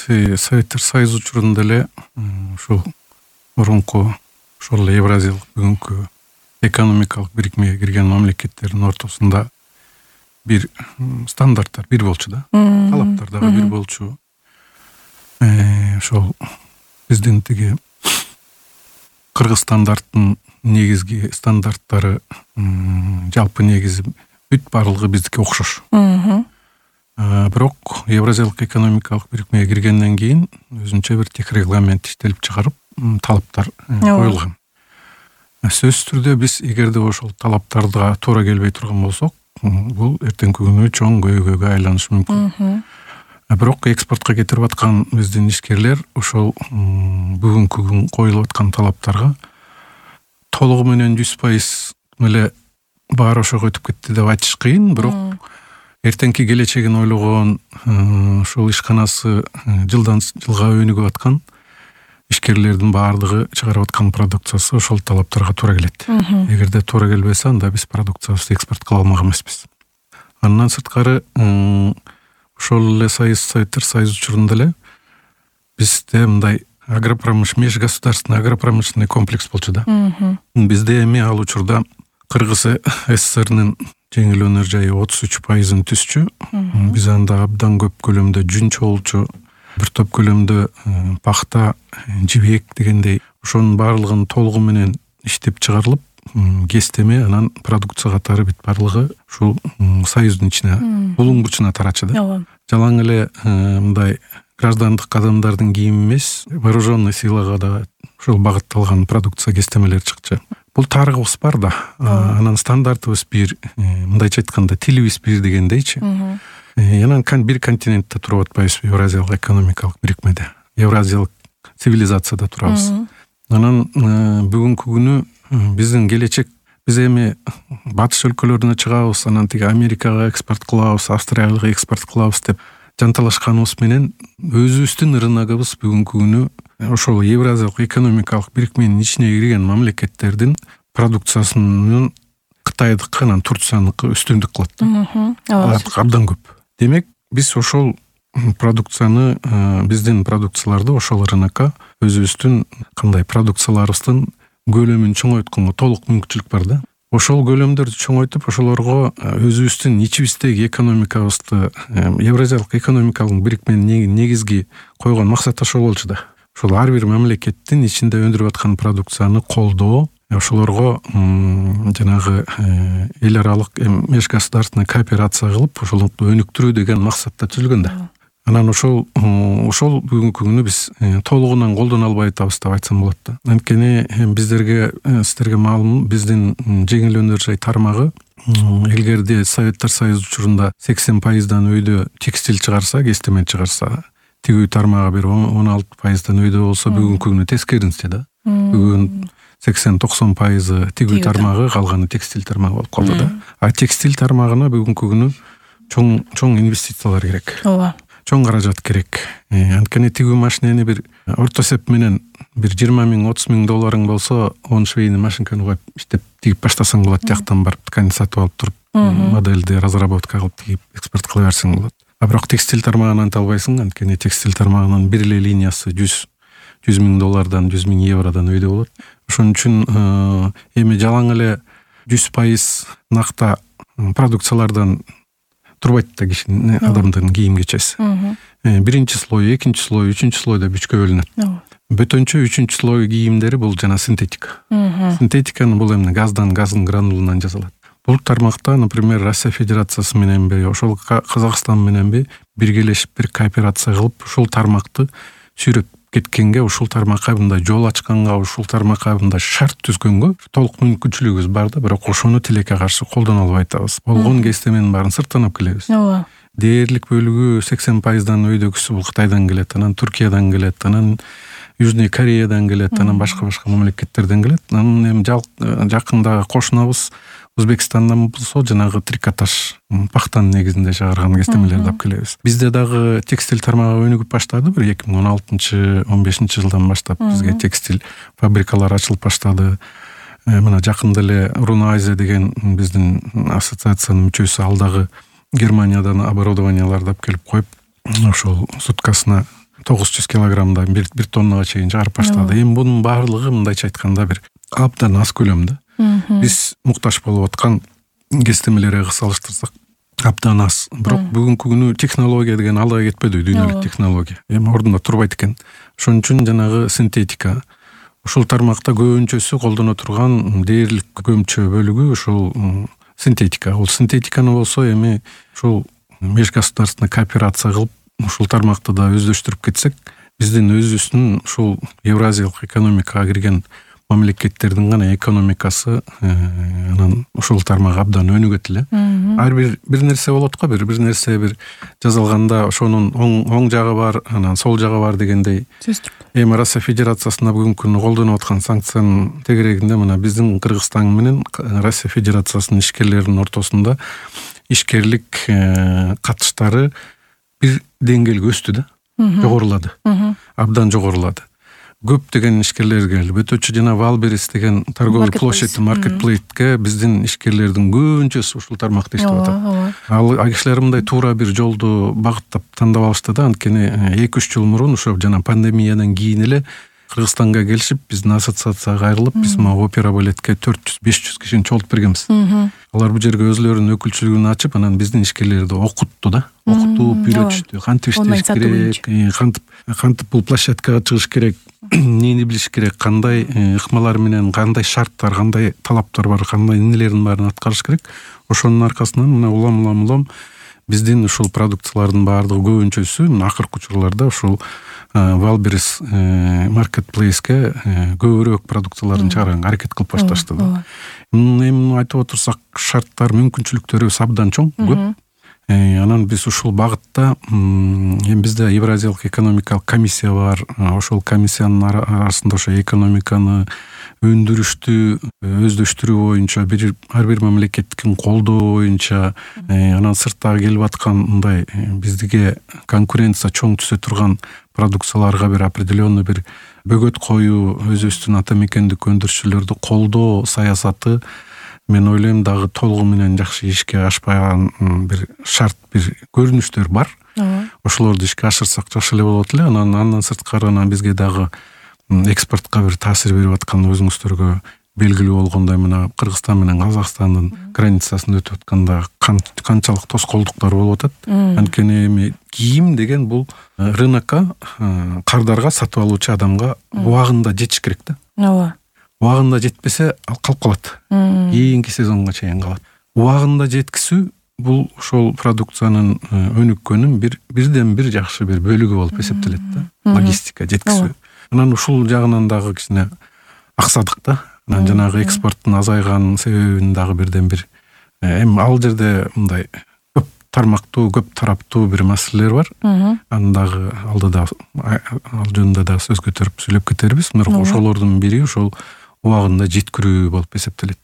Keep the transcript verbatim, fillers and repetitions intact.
Советтер Союзу учурунда эле ушул мурунку ошол эле Евразиялык бүгүнкү экономикалык бирикмеге кирген мамлекеттердин ортосунда бир стандарттар бир болчу да, талаптар дагы бир болчу. Ошол биздин тиги Кыргызстандардын негизги стандарттары жалпы негизи бүт баардыгы биздики окшош. Бирок Евразиялык экономикалык бирикмеге киргенден кийин өзүнчө бир тех регламент иштелип чыгарып, талаптар коюлган. Сөзсүз түрдө биз эгерде ошол талаптарга туура келбей турган болсок, бул эртеңки күнү чоң көйгөйгө айланышы мүмкүн. Бирок экспортко кетирип аткан биздин ишкерлер ошол бүгүнкү күн коюлуп аткан талаптарга толугу менен жүз пайыз эле баары ошого өтүп кетти деп айтыш кыйын, бирок эртеңки келечегин ойлогон, ушул ишканасы жылдан жылга өнүгүп аткан ишкерлердин баардыгы чыгарып аткан продукциясы ошол талаптарга туура келет. Эгерде туура келбесе, анда биз продукциябызды экспорт кыла алмак эмеспиз. Андан сырткары ошол эле Союз Советтер Союзу учурунда эле бизде мындай агропромышленный межгосударственный агропромышленный комплекс болчу да. Бизде эми ал учурда Кыргыз СССРнын жеңил өнөр жайы отуз үч пайызын түзчү. Биз анда абдан көп көлөмдө жүн чогулчу, бир топ көлөмдө пахта, жибек дегендей ошонун баардыгын толугу менен иштеп чыгарылып, кестеме анан продукция катары бүт баардыгы ушул союздун ичине, булуң бурчуна тарачу да. Жалаң эле мындай граждандык адамдардын кийими эмес, вооруженный силага да ушул багытталган продукция кестемелер чыкчу. Бул тарыгыбыз бар да, анан стандартыбыз бир, мындайча айтканда тилибиз бир дегендейчи. Анан бир континентте туруп атпайбыз Евразиялык экономикалык бирикмеде. Евразиялык цивилизацияда турабыз. Анан бүгүнкү күнү биздин келечек, биз эми батыш өлкөлөрүнө чыгабыз, анан тиги Америкага экспорт кылабыз, Австралияга экспорт кылабыз деп жанталашканыбыз менен өзүбүздүн рыногубуз бүгүнкү күнү ошол Евразиялык экономикалык бирикменин ичине кирген мамлекеттердин продукциясынын Кытайдыкы, анан Турцияныкы үстүндүк кылат. Алар абдан көп. Демек, биз ошол продукцияны, биздин продукцияларды ошол рынокко өзүбүздүн кандай продукцияларыбыздын көлөмүн чоңойтконго толук мүмкүнчүлүк бар да. Ошол көлөмдөрдү чоңойтуп, ошолорго өзүбүздүн ичибиздеги экономикабызды, Евразиялык экономикалык бирикменин негизги койгон максаты ошол болчу да. Ошол ар бир мамлекеттин ичинде өндүрүп аткан продукцияны колдоо, ошолорго жанагы эл аралык межгосударственный кооперация кылып, ошолорду өнүктүрүү деген максатта түзүлгөн да. Анан ошол ошол бүгүнкү күнү биз толугунан колдоно албай атабыз деп айтсам болот да. Анткени биздерге сиздерге маалым, биздин жеңил өнөр жай тармагы илгерде Советтер Союзу учурунда сексен пайыздан өйдө текстиль чыгарса, кестеме чыгарса, тигүү тармагы бир он алты пайыздан өйдө болсо, бүгүнкү күнү тескерисинче да. Бүгүн сексен токсон пайызы тигүү тармагы, калганы текстиль тармагы болуп калды да. А текстиль тармагына бүгүнкү күнү чоң чоң инвестициялар керек. Ооба. Чоң каражат керек. Анткени тигүү машинени бир орто эсеп менен бир жыйырма миң отуз миң долларың болсо, он швейный машинканы коюп иштеп тигип баштасаң болот, жактан барып ткань сатып алып туруп, модельди разработка кылып тигип экспорт кыла берсең болот. А бирок текстиль тармагынан анта албайсың, анткени текстиль тармагынын бир эле линиясы жүз миң доллардан, жүз миң евродон өйдө болот. Ошон үчүн эми жалаң эле жүз пайыз накта продукциялардан турбайт да кишинин, адамдын кийим кечеси. Биринчи слой, экинчи слой, үчүнчү слойдо үчкө бөлүнөт. Бөтөнчө үчүнчү слой кийимдери бул жана синтетика. Синтетиканы бул эмне газдан, газдын гранулунан жасалат. Бул тармакта, например, Россия Федерациясы мененби, ошол Казакстан мененби биргелешип бир кооперация кылып, ушул тармакты сүйрөп кеткенге, ушул тармакка мындай жол ачканга, ушул тармакка мындай шарт түзгөнгө толук мүмкүнчүлүгүбүз бар да, бирок ошону тилекке каршы колдоно албай атабыз. Болгон кестеменин баарын сырттан алып келебиз. Ооба. Дээрлик бөлүгү сексен пайыздан өйдөгүсү бул Кытайдан келет, анан Туркиядан келет, анан Южный Кореядан келет, анан башка-башка мамлекеттерден келет. Анан эми жакында кошунабыз Өзбекстандан болсо жанагы трикотаж, пахтанын негизинде чыгарган кестемелерди алып келебиз. Бизде дагы текстиль тармагы өнүгүп баштады, бир эки миң он алтынчы он бешинчи жылдан баштап бизге текстиль фабрикалары ачылып баштады. Мына жакында эле Руна Азия деген биздин ассоциациянын мүчөсү ал дагы Германиядан оборудованияларды алып келип коюп, ошол суткасына тогуз жүз килограммдан бир бир тоннага чейин чыгарып баштады. Эми бунун баардыгы мындайча айтканда бир абдан аз көлөмдө. Биз муктаж болуп аткан кестемелерге салыштырсак абдан аз. Бирок бүгүнкү күнү технология деген алга кетпеди, дүйнөлүк технология. Эми ордунда турбайт экен. Ошон үчүн жанагы синтетика ушул тармакта көбүнчөсү колдоно турган дээрлик көмчө бөлүгү ушул синтетика. Ол синтетиканы болсо эми ушул межгосударственный кооперация кылып ушул тармакты да өздөштүрүп кетсек, биздин өзүбүздүн ушул Евразиялык экономикага кирген мамлекеттердин гана экономикасы анан ушул тармак абдан өнүгөт эле. Ар бир бир нерсе болот го, бир бир нерсе бир жазылганда ошонун оң оң жагы бар, анан сол жагы бар дегендей. Эми Россия Федерациясында бүгүнкү күнү колдонуп аткан санкциянын тегерегинде мына биздин Кыргызстан менен Россия Федерациясынын ишкерлеринин ортосунда ишкерлик катыштары бир деңгээлге өстү да, жогорулады. Абдан жогорулады. Көптөгөн ишкерлер келди. Өтөчү жана Валберес деген торговый площадь маркетплейске биздин ишкерлердин көбүнчөсү ушул тармакта иштеп атат. Ал кишилер мындай туура бир жолду багыттап тандап алышты да, анткени эки үч жыл мурун ошо жана пандемиядан кийин эле Кыргызстанга келишип, биздин ассоциацияга кайрылып, биз могу опера балетке төрт жүз беш жүз кишини чогултуп бергенбиз. Алар бул жерге өзлөрүнүн өкүлчүлүгүн ачып, анан биздин ишкерлерди окутту да, окутуп, үйрөтүштү, кантип иштеш керек, кантип кантип бул площадкага чыгыш керек, эмнени билиш керек, кандай ыкмалар менен, кандай шарттар, кандай талаптар бар, кандай эмнелердин баарын аткарыш керек. Ошонун аркасынан мына улам улам улам биздин ушул продукциялардын баардыгы көбүнчөсү акыркы учурларда ушул Валберес маркетплейске көбүрөөк продукцияларын чыгарганга аракет кылып башташты да. Эми айтып отурсак, шарттар, мүмкүнчүлүктөрүбүз абдан чоң, көп. Анан биз ушул багытта эми бизде Евразиялык экономикалык комиссия бар. Ошол комиссиянын арасында ошо экономиканы өндүрүштү өздөштүрүү боюнча бир ар бир мамлекеттин колдоо боюнча, анан сырттагы келип аткан мындай бизге конкуренция чоң түшө турган продукцияларга бир определенный бир бөгөт коюу, өзүбүздүн ата мекендик өндүрүшчүлөрдү колдоо саясаты, мен ойлойм, дагы толугу менен жакшы ишке ашпаган бир шарт, бир көрүнүштөр бар. Ошолорду ишке ашырсак жакшы эле болот эле. Анан андан сырткары анан бизге дагы экспортко бир таасир берип аткан, өзүңүздөргө белгилүү болгондой, мына Кыргызстан менен Казакстандын границасын өтүп атканда канчалык тоскоолдуктар болуп атат. Анткени эми кийим деген бул рынокко, кардарга сатып алуучу адамга убагында жетиш керек да. Ооба. Убагында жетпесе ал калып калат. Кийинки сезонго чейин калат. Убагында жеткизүү бул ошол продукциянын өнүккөнүн бир бирден бир жакшы бир бөлүгү болуп эсептелет да. Логистика, жеткизүү. Анан ушул жагынан дагы кичине аксадык да. Анан жанагы экспорттун азайган себебин дагы бирден бир эми ал жерде мындай көп тармактуу, көп тараптуу бир маселелер бар. Анын дагы алдыда ал жөнүндө да сөз көтөрүп сүйлөп кетербиз. Бирок ошолордун бири ошол убагында жеткирүү болуп эсептелет.